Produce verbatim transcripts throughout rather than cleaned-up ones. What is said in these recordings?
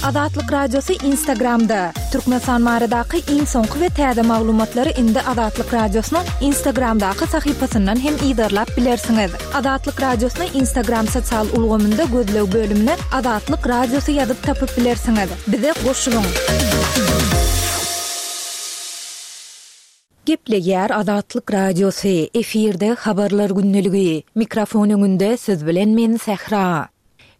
Azatlyk Radiosy Instagramda. Türkmenistan baradaky iň soňky we täze maglumatlary indi Azatlyk Radiosynyň Instagramdaky sahypasyndan hem yzarlap bilersiňiz. Azatlyk Radiosyny Instagram sosial ulgamynda gözleg bölümine Azatlyk Radiosy ýazyp tapyp bilersiňiz. Bize goşulyň. Gepleýär Azatlyk Radiosy, efirde habarlar gündeligi. Mikrofon öňünde siz bilen men Sähra.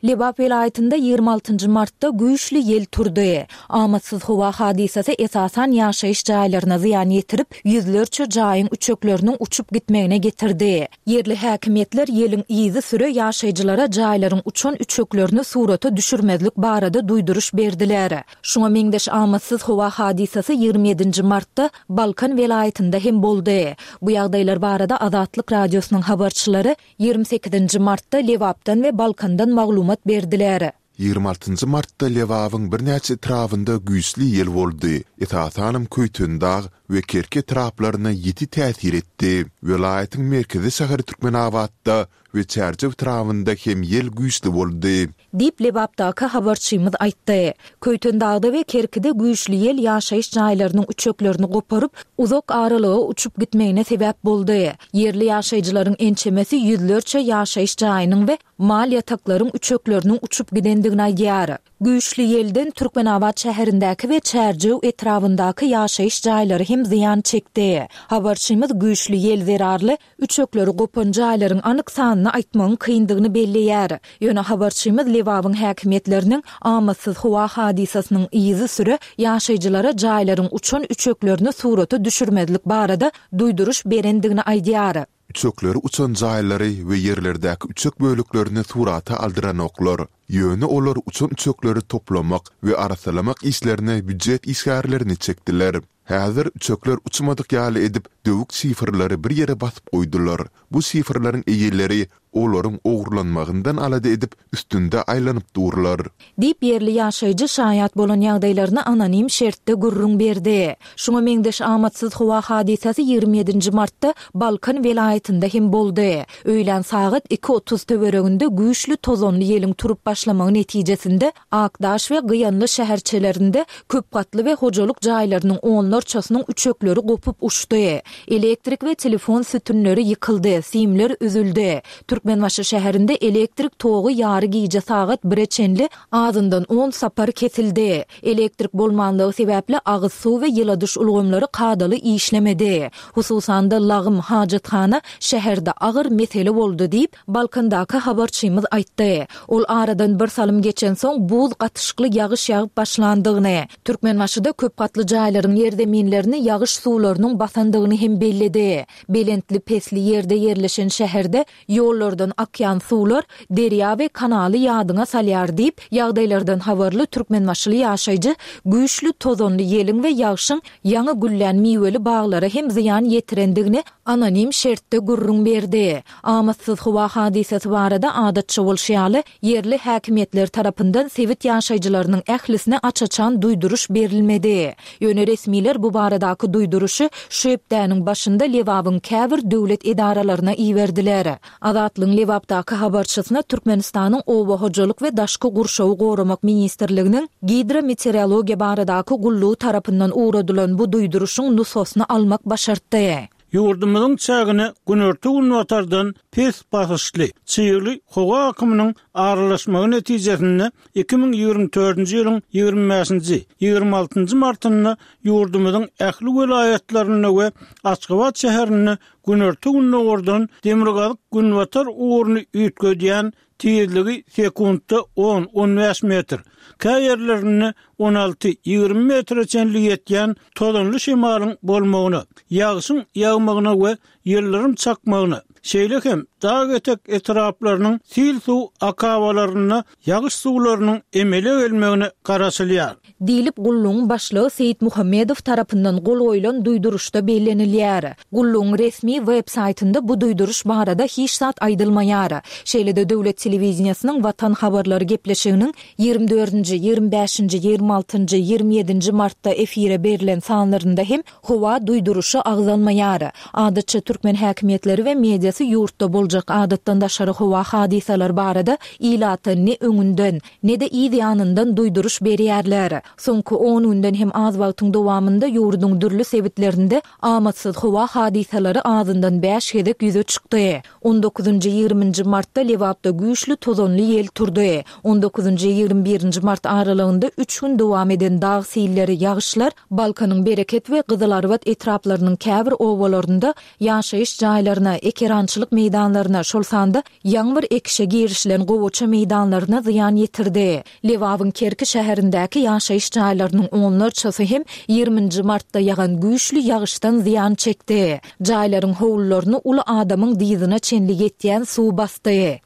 Lebap welaýatynda ýigrimi altynjy martda güýçli ýel turdy. Amatsyz howa hadysasy esasan ýaşaýyş jaýlaryna zyýan ýetirip, ýüzlerçe jaýyň üçekleriniň uçup gitmegine getirdi. Ýerli häkimiýetler ýeliň yzysüre ýaşaýjylara jaýlaryň uçan üçeklerini surata düşürmezlik barada duýduryş berdiler. Şuňa meňzeş amatsyz howa hadysasy ýigrimi ýedinji martda Balkan welaýatynda hem boldy. Bu ýagdaýlar barada Azatlyk Radiosynyň habarçylary Ýigrimi sekizinji martda Lebapdan we Balkandan maglumat berdiler. Ýigrimi altynjy martda Lebabyň birnäçe etrabynda güýçli ýel boldy, esasanam Köýtendag we Kerki etraplaryna ýiti täsir etdi. Welaýatyň merkezi şäheri Türkmenabatda we Çärjew etrabynda hem ýel güýçli boldy. Diýip, Lebapdaky habarçymyz aýtdy. Köýtendagda we Kerkide güýçli ýel ýaşaýyş jaýlarynyň üçeklerini goparyp, uzak aralyga uçup gitmegine sebäp boldy. Ýerli ýaşaýjylaryň ençemesi ýüzlerçe ýaşaýyş jaýynyň we mal ýataklaryň üçekleriniň uçup gidendigini aýdýar. Güýçli ýelden Türkmenabat şäherindäki we Çärjew etrabyndaky ýaşaýyş jaýlary hem zyýan çekdi. Habarçymyz güýçli ýel zerarly Üçekleri gopan jaýlaryň anyk sanyny aýtmagyň kyndygyny belleýär. Ýöne habarçymyz Lebabyň häkimiýetleriniň amatsyz howa hadysasynyň yzysüre ýaşaýjylara jaýlaryň uçan üçeklerini surata düşürmezlik barada duýduryş berendigini aýdýar. Üçekleri uçan jaýlary we ýerlerdäki üçek böleklerini surata aldyranoklar. Ýöne olar uçan üçekleri toplamak we arassalamak işlerine býujet işgärlerini çekdiler. Häzir üçekler uçmadyk ýaly edip, döwük şifrleri bir ýere basyp goýdular. Bu şifrleriň eýeleri olaryň ogurlanmagyndan alada edip, üstünde aýlanyp durlar. Diýip, ýerli ýaşaýjy şaýat bolan ýagdaýlaryny anonim şertde gürrüň berdi. Şuňa meňzeş amatsyz howa hadysasy ýigrimi ýedinji martda Balkan welaýatynda hem boldy. Öýlän sagat iki otuz töwereginde güýçli tozanly ýeliň turup başlamagy netijesinde Akdaş we Gyýanly şäherçelerinde köp gatly we hojalyk jaýlarynyň onlarçasynyň üçekleri gopup uçdy. Elektrik we telefon sütünleri ýykyldy, simler üzüldi. Türkmenbaşy şäherinde elektrik togy ýary gije sagat bire çenli azyndan on sapar kesildi. Elektrik bolmanlygy sebäpli agyz suw we ýyladyş ulgamlary kadaly işlemedi. Hususan-da, lagym, hajathana şäherde agyr mesele boldy diýip, Balkandaky habarçymyz aýtdy. Ol aradan bir salym geçensoň buz gatyşykly ýagyş ýagyp başlandygyny, Türkmenbaşyda köp gatly jaýlaryň ýerzeminlerini ýagyş suwlarynyň basandygyny hem belledi. Belentli-pesli ýerde ýerleşen şäherde ýollardan akýan suwlar derýa we kanaly ýadyňa salýar diýip, ýagdaýlardan habarly türkmenbaşyly ýaşaýjy güýçli tozanly ýeliň we ýagşyň ýaňy güllän miweli baglara hem zyýan ýetirendigini anonim şertde gürrüň berdi. Amatsyz howa hadysasy barada adatça bolşy ýaly, ýerli häkimiýetler tarapyndan sebit ýaşaýjylarynyň ählisine aç-açan duýduryş berilmedi. Ýöne resmiler bu baradaky duýduryşy şu hepdäniň başynda Lebabyň käbir döwlet edaralaryna iberdiler. Azatlygyň Lebapdaky habarçysyna Türkmenistanyň Oba hojalyk we daşky gurşawy goramak ministrliginiň Gidrometeorologiýa baradaky gullugy tarapyndan ugradylan bu duýduryşyň nusgasyny almak başartdy. Ýurdumyzyň çägine günorta-günbatardan pes basyşly, çygly howa akymynyň aralaşmagy netijesinde iki müň ýigrimi dördünji ýylyň ýigrimi bäşinji, ýigrimi altynjy martynda ýurdumyzyň ähli welaýatlarynda we Aşgabat şäherinde günorta-gündogardan demirgazyk-günbatar ugruny üýtgedýän tizligi sekuntda on, on bäş metr, kä ýerlerinde on alty, ýigrimi metre çenli ýetýän tozanly şemalyň bolmagyna, ýagşyň ýagmagyna we ýyldyrym çakmagyna, şeýle hem dag etek etraplarynyň sil suw akabalarynda ýagyş suwlarynyň emele gelmegine garaşylýar. Diýlip, gullugyň başlygy Seýitmuhammedow tarapyndan gol goýlan duýduryşda bellenilýär. Gullugyň resmi web saýtynda bu duýduryş barada hiç zat aýdylmaýar. Şeýle-de döwlet telewideniýesiniň Watan habarlary gepleşiginiň ýigrimi dördünji, ýigrimi bäşinji, ýigrimi altynjy, ýigrimi ýedinji martda efire berlen sanlarynda hem howa duýduryşy agzalmaýar. Adatça türkmen häkimiýetleri we mediasy ýurtda boljak boljak adatdan daşary howa hadysalary barada ilata ne öňünden, ne-de yz ýanyndan duýduryş berýärler. Soňky on günden hem az wagtyň dowamynda ýurduň dürli sebitlerinde amatsyz howa hadysalary azyndan bäş gezek ýüze çykdy. On dokuzynjy, ýigriminji martda Lebapda güýçli tozanly ýel turdy. On dokuzynjy, ýigrimi birinji mart aralygynda üç gün dowam eden dag silleri, ýagyşlar Balkanyň Bereket we Gyzylarbat etraplarynyň käbir obalarynda ýaşaýyş jaýlaryna, ekerançylyk meýdanlaryna, şol sanda ýaňy bir ekişe girişilen gowaça meýdanlaryna zyýan ýetirdi. Lebabyň Kerki şäherindäki ýaşaýyş jaýlarynyň onlarçasy hem ýigriminji martda ýagan güýçli ýagyşdan zyýan çekdi. Jaýlaryň howlularyny uly adamyň dyzyna çenli ýetýän suw basdy.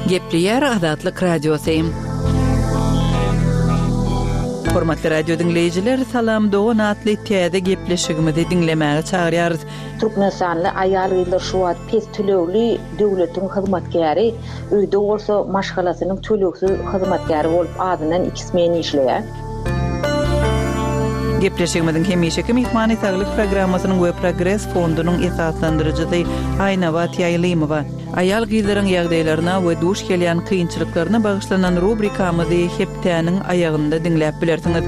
Gepleýär Azatlyk Radiosy. Hormatly radio diňleýjiler, Salam Dogan atly täze gepleşigimizi diňlemäge çagyrýarys. Türkmenistanly aýal-gyzlar şu wagt pes tölegli döwletiň hyzmatkäri, öýde bolsa maşgalasynyň tölegsiz hyzmatkäri bolup azyndan iki smen işleýär. Gepleşigimiziň hemişeki myhmany saglyk programmasynyň we Progres fondunyň esaslandyryjysy Aýnabat Ýaýlymowa. Aýal gyzlaryň ýagdaýlaryna we duş gelýän kynçylyklaryna bagyşlanan rubrikamyzy hepdäniň aýagynda diňläp bilersiňiz.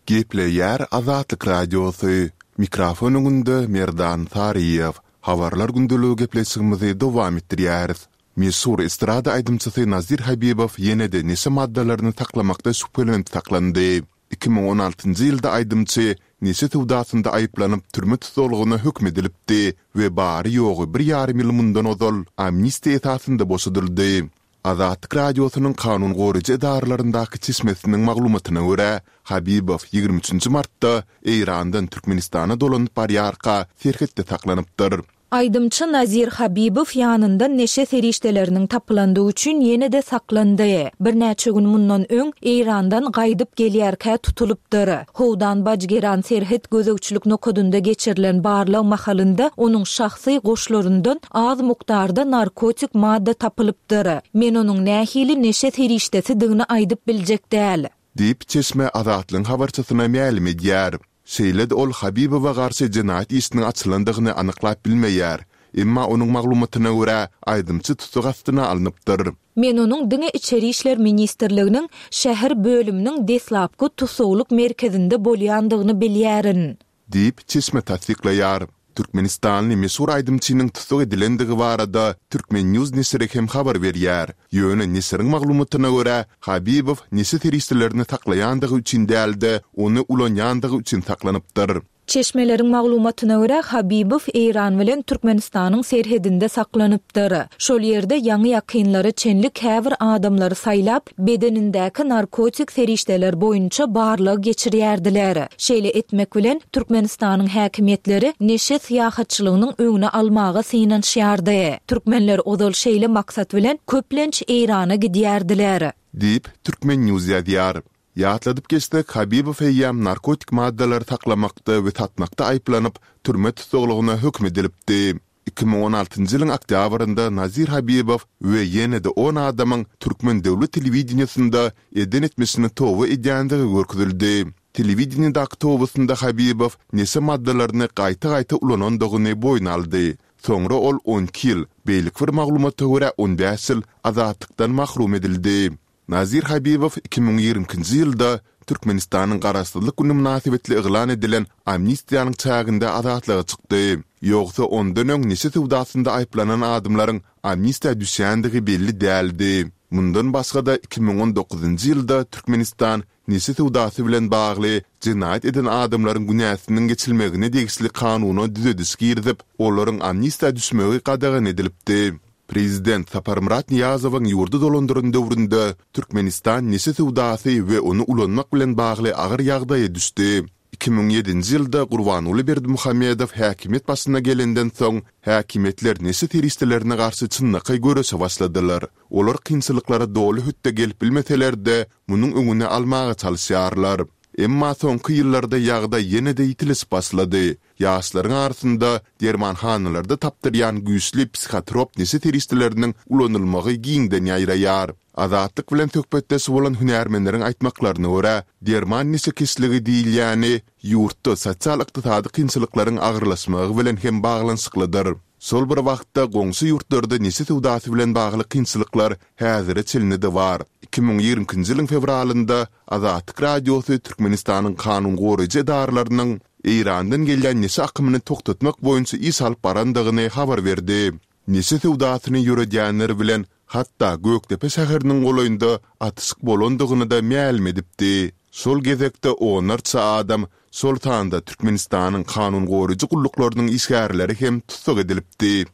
Gepleýär Azatlyk Radiosy. Mikrofon öňünde Merdan Saryýew. Habarlar gündeligi gepleşigimizi dowam etdirýäris. Meşhur estrada aýdymçysy Nazir Habibow ýene-de neşe maddalaryny saklamakda şübhelenip saklandy. Iki müň on altynjy ýylda aýdymçy neşe söwdasynda aýyplanyp türme tussaglygyna höküm edilipdi we bary-ýogy bir ýarym ýyl mundan ozal amnistiýa esasynda boşadyldy. Azatlyk Radiosynyň kanun goraýjy edaralaryndaky çeşmesiniň maglumatyna görä, Habibow ýigrimi üçünji martda Eýrandan Türkmenistana dolanyp barýarka serhetde saklanypdyr. Aýdymçy Nazir Habibow ýanyndan neşe serişdeleriniň tapylandygy üçin ýene-de saklandy. Birnäçe gün mundan öň Eýrandan gaýdyp gelýärkä tutulypdyr. Howdan Bajgeran serhet gözegçilik nokadynda geçirilen barlag mahalynda onuň şahsy goşlaryndan az mukdarda narkotik madda tapylypdyr. Men onuň nähili neşe serişdesidigini aýdyp biljek däl. Diýip çeşme Azatlygyň habarçysyna mälim edýär. Şeýle-de ol Habibowa garşy jenaýat işiniň açylandygyny anyklap bilmeýär. Emma onuň maglumatyna görä, aýdymçy tussag astyna alnypdyr. Men onuň diňe Içeri işler ministrliginiň şäher bölüminiň deslapky tussaglyk merkezinde bolýandygyny bilýärin. Diýip çeşme tassyklaýar. Türkmenistanly meşhur aýdymçynyň tussag edilendigi barada Türkmen News neşiri hem habar berýär. Ýöne neşiriň maglumatyna görä, Habibow neşe serişdelerini saklaýandygy üçin däl-de, ony ulanýandygy üçin saklanypdyr. Çeşmeleriň maglumatyna görä, Habibow Eýran bilen Türkmenistanyň serhedinde saklanypdyr. Şol ýerde ýaňy ýakynlara çenli käbir adamlary saýlap, bedenindäki narkotik serişdeler boýunça barlag geçirýärdiler. Şeýle etmek bilen Türkmenistanyň häkimiýetleri neşe syýahatçylygynyň öňüne almaga synanyşýardy. Türkmenler ozal şeýle maksat bilen köplenç Eýrana gidýärdiler. Diýip, Türkmen News ýazýar. Ýatladyp geçsek, Habibow eýýäm narkotik maddalary saklamakda we satmakda aýyplanyp, türme tussaglygyna höküm edilipdi. Iki müň on altynjy ýylyň oktýabrynda Nazir Habibow we ýene-de on adamyň Türkmen döwlet telewideniýesinde eden etmişini toba edýändigi görkezildi. Telewideniýedäki tobasynda Habibow neşe maddalaryny gaýta-gaýta ulanandygyny boýun aldy. Soňra ol on iki ýyl, beýleki bir maglumata görä on bäş ýyl azatlykdan mahrum edildi. Nazir Habibow iki müň ýigrimi ikinji ýylda Türkmenistanyň Garaşsyzlyk güni mynasybetli yglan edilen amnistiýanyň çäginde azatlyga çykdy. Ýogsa ondan öň neşe söwdasynda aýyplanan adamlaryň amnistiýa düşýändigi belli däldi. Mundan başga-da iki müň on dokuzynjy ýylda Türkmenistan neşe söwdasy bilen bagly jenaýat eden adamlaryň günäsiniň geçilmegine degişli kanuna düzediş girizip, olaryň amnistiýa düşmegi gadagan edilipdi. Prezident Saparmyrat Nyýazowyň ýurdy dolandyran döwründe Türkmenistan neşe söwdasy we ony ulanmak bilen bagly agyr ýagdaýa düşdi. Iki müň ýedinji ýylda Gurbanguly Berdimuhamedow häkimiýet başyna gelenden soň, häkimiýetler neşe serişdelerine garşy çynlakaý göreşe başladylar. Olar kynçylyklara doly hötde gelip bilmeseler-de, munuň öňüni almaga çalyşýarlar. Emma soňky ýyllarda ýagdaý ýene-de ýitileşip başlady. Ýaşlaryň arasynda dermanhanalarda tapdyrýan güýçli psihotrop neşe serişdeleriniň ulanylmagy giňden ýaýraýar. Azatlyk bilen söhbetdeş bolan hünärmenleriň aýtmaklaryna görä, derman neşekeşligi diýilýäni ýurtda sosial-ykdysady kynçylyklaryň agyrlaşmagy bilen hem baglanyşyklydyr. Şol bir wagtda, goňşy ýurtlarda neşe söwdasy bilen bagly kynçylyklar häzire çenli-de bar. Iki müň ýigrimi ikinji ýylyň fewralynda Azatlyk Radiosy Türkmenistanyň kanun goraýjy edaralarynyň Eýrandan gelýän neşe akymyny togtatmak boýunça iş alyp barandygyny habar berdi. Neşe söwdasyny ýöredýänler bilen hatda Gökdepe şäheriniň golaýynda atyşyk bolandygyny-da mälim edipdi. Şol gezekde onlarça adam, şol sanda Türkmenistanyň kanun goraýjy gulluklarynyň işgärleri hem tussag edilipdi.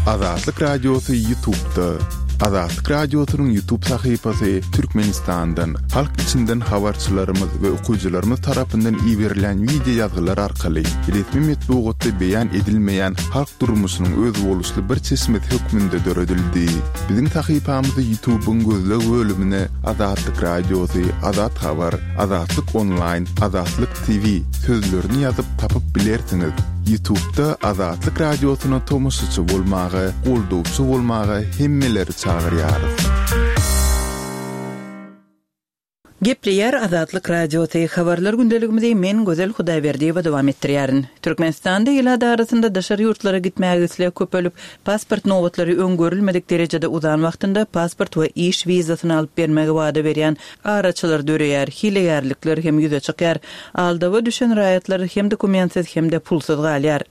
Azatlyk Radiosy Ýutubda. Azatlyk Radiosynyň Ýutub sahypasy Türkmenistandan, halk içinden habarçylarymyz we okyjylarymyz tarapyndan iberilen wideo ýazgylar arkaly resmi metbugatda beýan edilmeýän halk durmuşynyň özboluşly bir çeşmesi hökmünde döredildi. Biziň sahypamyzy Ýutubyň gözleg bölümine Azatlyk Radiosy, Azat Habar, Azatlyk Onlaýn, Azatlyk TV sözlerini ýazyp tapyp bilersiňiz. Ýutubda Azatlyk Radiosyna tomaşaçy bolmaga, goldawçy bolmaga hemmeleri çagyrýarys. Gepleýär Azatlyk Radiosy, Habarlar gündeligimizi men Gözel Hudaýberdiýewa dowam etdirýärin. Türkmenistanda ilat arasynda daşary ýurtlara gitmäge isleg köpelip, pasport nobatlary öň görülmedik derejede uzan wagtynda pasport we iş wizasyny alyp bermegi wada berýän araçylar döreýär, hilegärlikler hem ýüze çykýar. Aldawa düşen raýatlar hem dokumentsiz hem-de pulsuz galýar.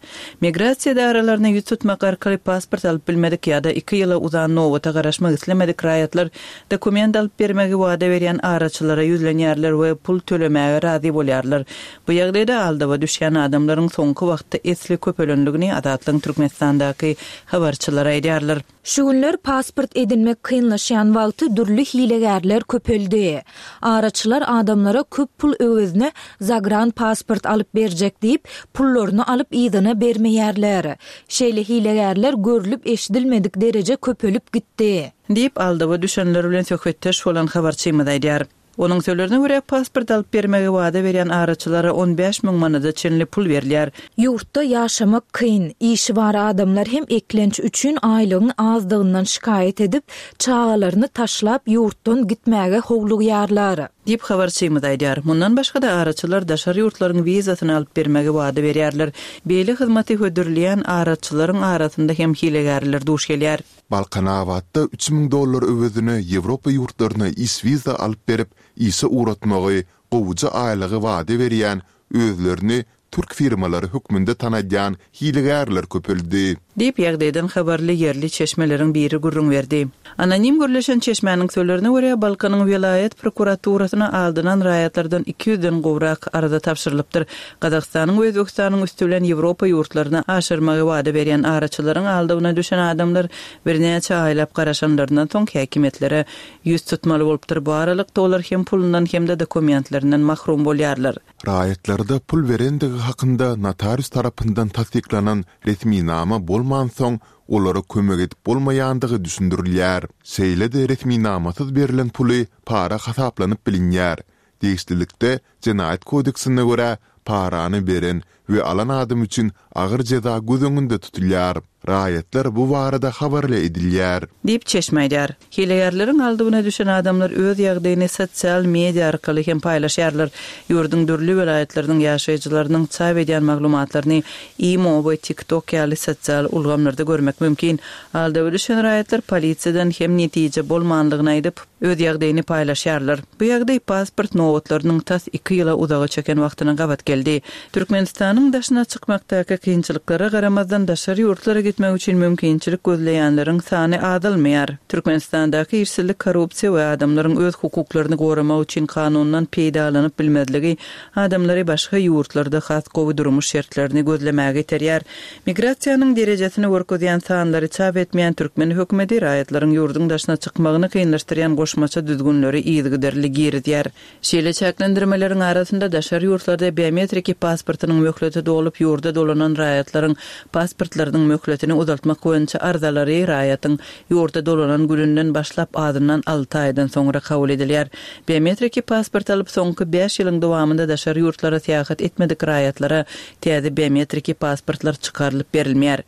Migrasiýa edaralaryna ýüz tutmak arkaly pasport alyp bilmedik ýa-da iki ýyla uzan nobata garaşmak islemedik raýatlar dokument alyp bermegi wada berýän araçylara ýüzlenýärler we pul tölemäge razy bolýarlar. Bu ýagdaýda aldawa düşýän adamlaryň soňky wagtda esli köpelenligini Azatlygyň Türkmenistandaky habarçylary aýdýarlar. Şu günler pasport edinmek kynlaşýan wagty dürli hilegärler köpeldi. Araçylar adamlara köp pul öwezine zagran pasport alyp berjek diýip, pullaryny alyp yzyna bermeýärler. Şeýle hilegärler görlüp eşidilmedik dereje köpelip gitdi. Diýip, aldawa düşenler bilen söhbetdeş bolan habarçymyz aýdýar. Onuň sözlerine görä, pasport alyp bermegi wada berýän araçylara on bäş müň manada çenli pul berilýär. Ýurtda ýaşamak kyn, işi bar adamlar hem eklenç üçin aýlygyň azdygyndan şikaýat edip, çagalaryny taşlap ýurtdan gitmäge howlugýarlar. Diýip habarçymyz aýdýar. Mundan başga-da araçylar daşary ýurtlaryň wizasyny alyp bermegi wada berýärler. Beýle hyzmaty hödürleýän araçylaryň arasynda hem hilegärler duş gelýär. Balkanabatda üç müň dollar öwezine Ýewropa ýurtlaryna iş wiza alyp berip, işe ugratmagy, gowuja aýlygy wada berýän, özlerini türk firmalary hökmünde tanadýan hilegärler köpeldi. Diýip, ýagdaýdan habarly ýerli çeşmeleriň biri gürrüň berdi. Anonim gürleşen çeşmäniň sözlerine görä, Balkanyň welaýat prokuraturasyna aldynan raýatlardan iki ýüzden gowrak arza tabşyrylypdyr. Gazagystanyň we Özbegistanyň üsti bilen Ýewropa ýurtlaryna aşyrmagy wada berýän araçylaryň aldawyna düşen adamlar birnäçe aýlap garaşanlaryndan soň häkimiýetlere ýüz tutmaly bolupdyr. Bu aralykda olar hem pulundan hem-de dokumentlerinden mahrum bolýarlar. Raýatlarda pul berendigi hakynda notarius tarapyndan tassyklanan resminama bolmansoň, olara kömek edip bolmaýandygy düşündirilýär. Şeýle-de resminamasyz berlen puly para hasaplanyp bilinýär. Degişlilikde, Jenaýat kodeksine görä, parany beren we alan adam üçin agyr jeza göz öňünde tutulýar. Raýatlar bu barada habarly edilýär. Diýip, çeşme aýdýar. Hilegärleriň aldygyna düşen adamlar öz ýagdaýyny sosial media arkaly hem paýlaşýarlar. Ýurduň dürli welaýatlarynyň ýaşaýjylarynyň çap edýän maglumatlaryny Imo we TikTok ýaly sosial ulgamlarda görmek mümkin. Aldawa düşen raýatlar polisiýadan hem netije bolmanlygyny aýdyp, öz ýagdaýyny paýlaşýarlar. Bu ýagdaý pasport nobatlarynyň tas iki ýyla uzaga çeken wagtyna gabat geldi. Türkmenistanyň daşyna çykmakdaky kynçylyklara garamazdan daşary ýurtlara gitmek üçin mümkinçilik gözleýänleriň sany azalmaýar. Türkmenistandaky işsizlik, korrupsiýa we adamlaryň öz hukuklaryny goramak üçin kanundan peýdalanyp bilmezligi adamlary başga ýurtlarda has gowy durmuş şertlerini gözlemäge iterýär. Migrasiýanyň derejesini görkezýän sanlary çap etmeýän türkmen hökümeti raýatlaryň ýurduň daşyna çykmagyny kynlaşdyrýan goşmaça düzgünleri yzygiderli girizýär. Şeýle çäklendirmeleriň arasynda daşary ýurtlarda biometriki pasportynyň möhleti dolup ýurda dolanan raýatlaryň pasportlarynyň möhletini Möhletini uzaltmak boýunça arzalary raýatyň ýurda dolanan gününden başlap azyndan alty aýdan soňra kabul edilýär. Biometriki pasport alyp soňky bäş ýylyň dowamynda daşary ýurtlara syýahat etmedik raýatlara täze biometriki pasportlar çykarylyp berilmeýär.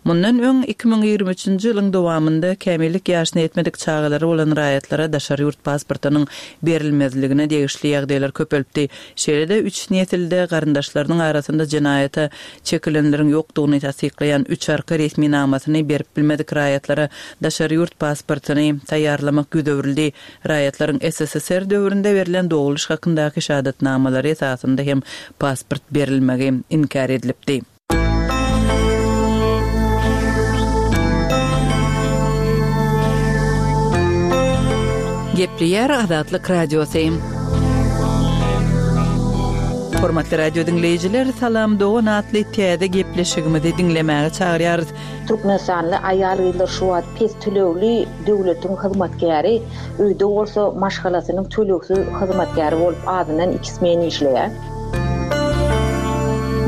Mundan öň iki müň ýigrimi üçünji ýylyň dowamynda kämillik ýaşyna ýetmedik çagalary bolan raýatlara daşary ýurt pasportynyň berilmezligine degişli ýagdaýlar köpelipdi. Şeýle-de üç nesilde garyndaşlarynyň arasynda jenaýata çekilenleriň ýokdugyny tassyklaýan üç arka resminamasyny berip bilmedik raýatlara daşary ýurt pasportyny taýýarlamak ýüz öwrüldi. Raýatlaryň S S S R döwründe berlen doguluş hakyndaky şahadatnamalary esasynda hem pasport berilmegi inkär edilipdi. Gepleýär Azatlyk Radiosy. Hormatly radio dinleýjiler, Salam Dogan atly täze gepleşigimizi diňlemäge çagyrýarys. Türkmenistanly aýal-gyzlar şu wagt pes tölegli döwletiň hyzmatkäri, öýde bolsa maşgalasynyň tölegsiz hyzmatkäri bolup azyndan iki smen işleýär.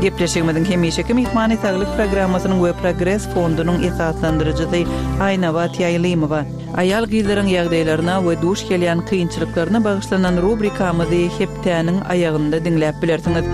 Gepleşigimiziň hemişeki myhmany Saglyk programmasynyň we Progres fondunyň esaslandyryjysy Aýnabat Ýaýlymowa. Aýal gyzlaryň ýagdaýlaryna we duş gelýän kynçylyklaryna bagyşlanan rubrikamyzy hepdäniň aýagynda diňläp bilersiňiz.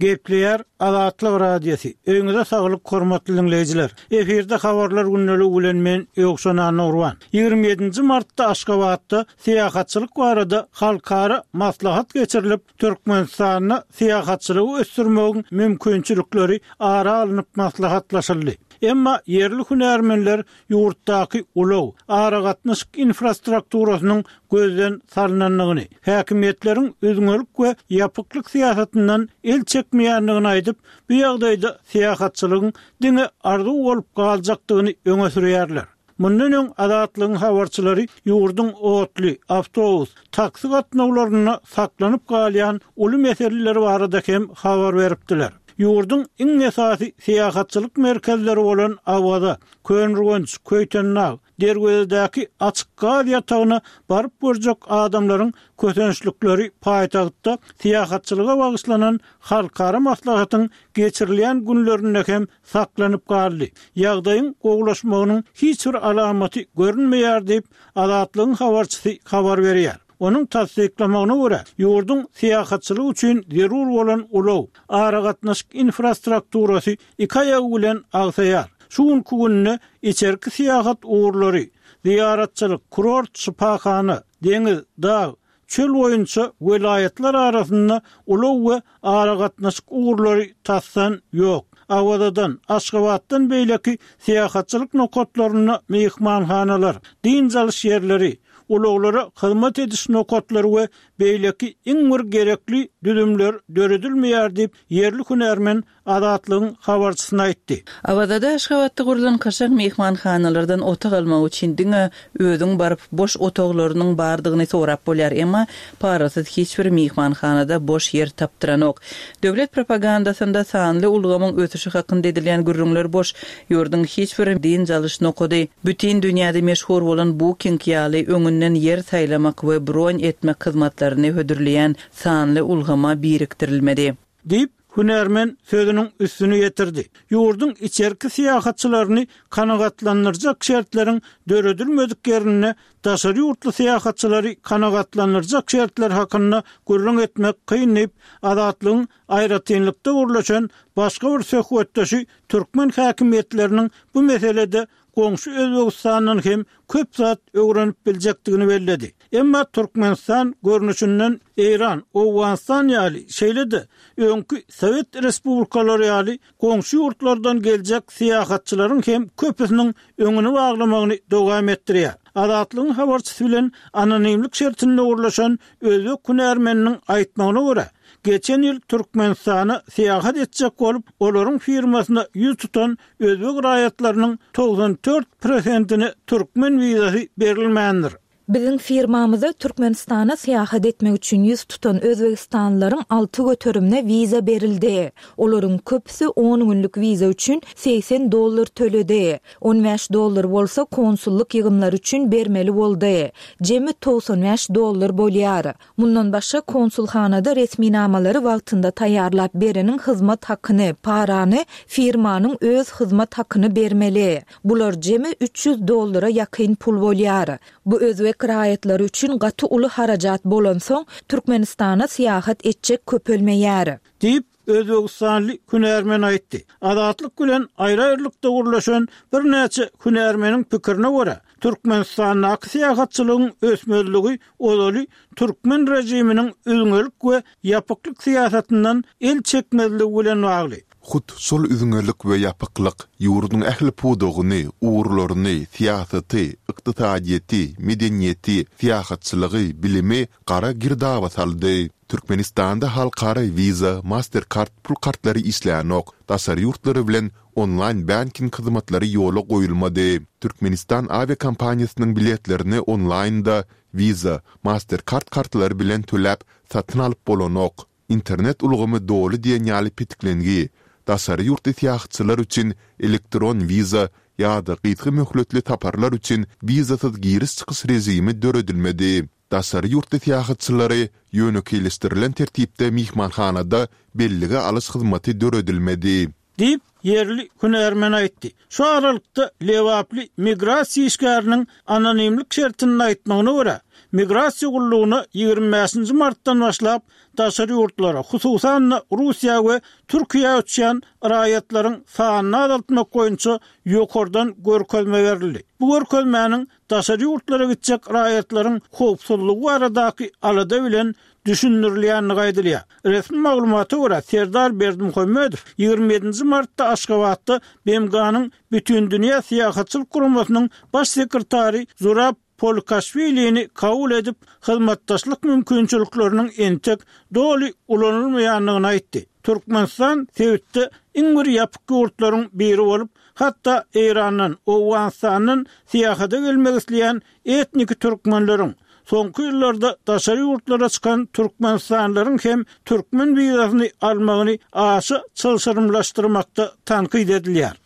Gepleýär Azatlyk Radiosy. Öýüňize saglyk hormatly dinleýjiler. Efirde habarlar gündeligi bilen men Ýowşan Anurwan. Ýigrimi ýedinji martda Aşgabatda syýahatçylyk barada halkara maslahat geçirilip, Türkmenistanda syýahatçylygy ösdürmegiň mümkinçilikleri ara alnyp maslahatlaşyldy. Emma ýerli hünärmenler ýurtdaky ulag, aragatnaşyk infrastrukturasynyň gözden salynandygyny, häkimiýetleriň üzňelik we ýapyklyk syýasatyndan el çekmeýändigini aýdyp, bu ýagdaýda syýahatçylygyň diňe arzuw bolup galjakdygyny öňe sürýärler. Mundan öň Azatlygyň habarçylary ýurduň otly, awtobus, taksi gatnawlarynda saklanyp galýan uly meseleler barada hem habar beripdiler. Ýurduň iň esasy syýahatçylyk merkezleri bolan Awaza, Köneürgenç, Köýtendag, Derwezedäki açyk gaz ýatagyna baryp görjek adamlaryň kösençlikleri paýtagtda syýahatçylyga bagyşlanan halkara maslahatyň geçirilýän günlerinde hem saklanyp galdy. Ýagdaýyň gowulaşmagynyň hiç bir alamaty görünmeýär diýip, Azatlygyň habarçysy habar berýär. Onuň tassyklamagyna görä, ýurduň syýahatçylyk üçin zerur bolan ulag, aragatnaşyk infrastrukturasy iki aýagy bilen agsaýar. Şu günki günde içerki syýahat ugurlary, ziýaratçylyk, kurort, şypahana, deňiz, dag, çöl boýunça welaýatlar arasynda ulag we aragatnaşyk ugurlary tasdan ýok. Awazadan, Aşgabatdan beýleki syýahatçylyk nokatlarynda myhmanhanalar, dynç alyş ýerleri, ulaglara hyzmat ediş nokatlary we beýleki iň bir gerekli düzümler döredilmeýär diýip, ýerli hünärmen Azatlygyň habarçysyna aýtdy. Awazada Aşgabatda gurulan kaşaň myhmanhanalardan otag almak üçin diňe özüň baryp boş otaglarynyň bardygyny sorap bolýar, emma parasyz hiç bir myhmanhanada boş ýer tapdyranok. Döwlet propagandasynda sanly ulgamyň ösüşi hakynda edilýän gürrüňler boş, ýurduň hiç bir dynç alyş nokady, bütün dünýäde meşhur bolan Booking ýaly öňünden ýer saýlamak we bron etmek hyzmatlaryny hödürleýän sanly ulgama birikdirilmedi. Diýip, hünärmen sözüniň üstüni ýetirdi. Ýurduň içerki syýahatçylaryny kanagatlandyrjak şertleriň döredilmedik ýerinde daşary ýurtly syýahatçylary kanagatlandyrjak şertler hakynda gürrüň etmek kyn diýip, Azatlygyň aýratynlykda gurlaşan başga bir söhbetdeşi türkmen häkimiýetleriniň bu meselede goňşy Özbegistandan hem köp zat öwrenip biljekdigini belledi. Emma Türkmenistan görnüşinden Eýran, Owganystan ýaly, şeýle-de öňki Sowet respublikalary ýaly goňşy ýurtlardan geljek syýahatçylaryň hem köpüsiniň öňüni baglamagyny dowam etdirýär. Azatlygyň habarçysy bilen anonimlik şertinde gurlaşan özbek hünärmeniniň aýtmagyna görä, geçen ýyl Türkmenistana syýahat etjek bolup, olaryň firmasyna ýüz tutan özbek raýatlarynyň togsan dört prosentine türkmen wizasy berilmändir. Biziň firmamyza Türkmenistana syýahat etmek üçin ýüz tutan özbegistanlylaryň alty göterimine wiza berildi. Olaryň köpüsi on günlük wiza üçin segsen dollar töledi. On bäş dollar bolsa konsullyk ýygymlary üçin bermeli boldy. Jemi togsan bäş dollar bolýar. Mundan başga konsulhanada resminamalary wagtynda taýýarlap bereniň hyzmat hakyny, parany, firmanyň öz hyzmat hakyny bermeli. Bular jemi üç ýüz dollara ýakyn pul bolýar. Bu özbek raýatlary üçin gaty uly harajat bolansoň, Türkmenistana syýahat etjek köpelmeýär. Diýip, özbegistanly hünärmen aýtdy. Azatlyk bilen aýry-aýrylykda gürleşen birnäçe hünärmeniň pikirine görä, Türkmenistandaky syýahatçylygyň ösmezligi ozaly türkmen režiminiň üzňelik we ýapyklyk syýasatyndan el çekmezligi bilen bagly. Hut şol üzňelik we ýapyklyk ýurduň ähli pudagyny, ugurlaryny, syýasaty, ykdysadyýeti, medeniýeti, syýahatçylygy, bilimi gara girdaba saldy. Türkmenistanda halkara Visa, Mastercard pul kartlary işlänok, daşary ýurtlary bilen onlaýn banking hyzmatlary ýola goýulmady. Türkmenistan awiakompaniýasynyň biletlerini onlaýnda Visa, Mastercard kartlary bilen töläp satyn alyp bolanok. Internet ulgamy doly diýen ýaly petiklengi. Daşary ýurtly syýahatçylar üçin elektron wiza ýa-da gysga möhletli saparlar üçin wizasyz giriş-çykyş režimi döredilmedi. Daşary ýurtly syýahatçylary ýönekeýleşdirilen tertipde myhmanhanada bellige alyş hyzmaty döredilmedi. Diýip, ýerli hünärmen aýtdy. Şu aralykda lebaply migrasiýa işgäriniň anonimlik şertinde aýtmagyna görä, migrasiýa gullugyna ýigrimi bäşinji martdan başlap daşary ýurtlara, hususan-da Russiýa we Türkiýä uçýan raýatlaryň sanyny azaltmak boýunça ýokardan görkezme berildi. Bu görkezmäniň daşary ýurtlara gitjek raýatlaryň howpsuzlygy baradaky alada bilen düşündirilýändigi aýdylýar. Resmi maglumata görä, Serdar Berdimuhamedow ýigrimi ýedinji martda Aşgabatda B M G-nyň Bütindünýä syýahatçylyk guramasynyň baş sekretary Zurab Polkaşwilini kabul edip, hyzmatdaşlyk mümkinçilikleriniň entek doly ulanylmaýandygyny aýtdy. Türkmenistan sebitde iň bir ýapyk ýurtlaryň biri bolup, hatda Eýrandan, Owganystandan syýahata gelmek isleýän etniki türkmenleriň, soňky ýyllarda daşary ýurtlara çykan türkmenistanlylaryň hem türkmen wizasyny almagyny aşa çylşyrymlaşdyrmakda tankyt edilýär.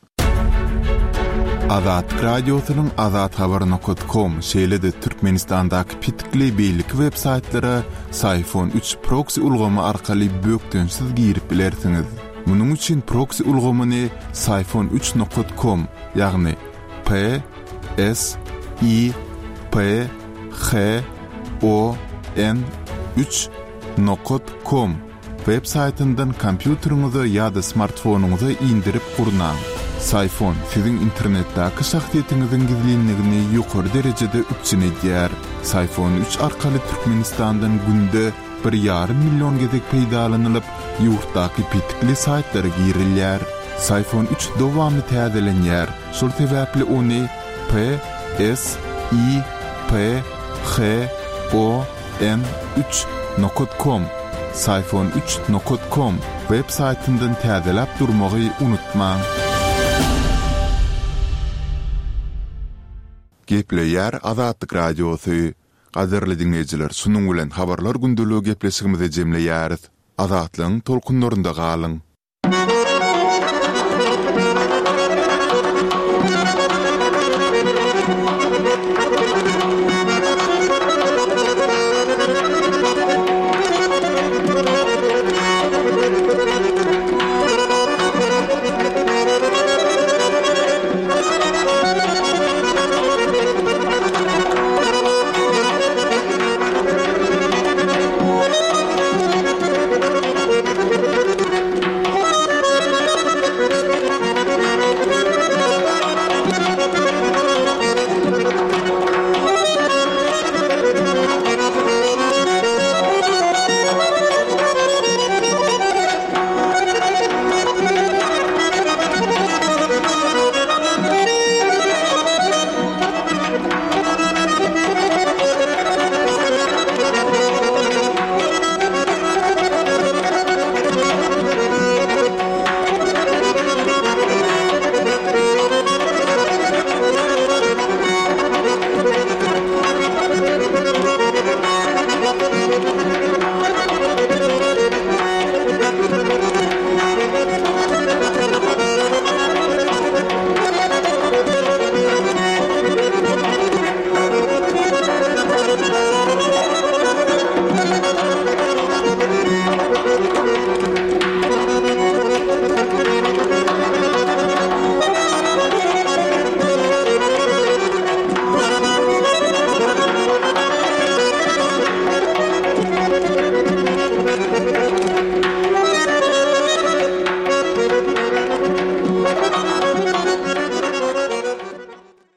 Azatlyk Radiosynyň Azat Habar nokat kom, şeýle-de Türkmenistandaky petikli beýleki web saýtlara Syfon üç proksi ulgamy arkaly bökdençsiz girip bilersiňiz. Munuň üçin proksi ulgamyny Syfon üç nokat kom, ýagny P S I P H O N üç nokat kom web saýtyndan kompýuteriňize ýa-da smartfonyňyza indirip gurnaň. Syfon siziň internetdäki şahsyýetiňiziň gizlinligini ýokary derejede üpjün edýär. Syfon üç arkaly Türkmenistandan günde bir ýarym million gezek peýdalanylyp, ýurtdaky petikli saýtlara girilýär. Syfon üç dowamly täzelenýär, şol sebäpli ony P S I P H O N üç nokat kom, Syfon üç nokat kom web saýtyndan täzeläp durmagy unutmaň. Gepleýär Azatlyk Radiosy. Gadyrly diňleýjiler, şunuň bilen Habarlar gündeligi gepleşigimizi jemleýäris. Azatlygyň tolkunlarynda galyň.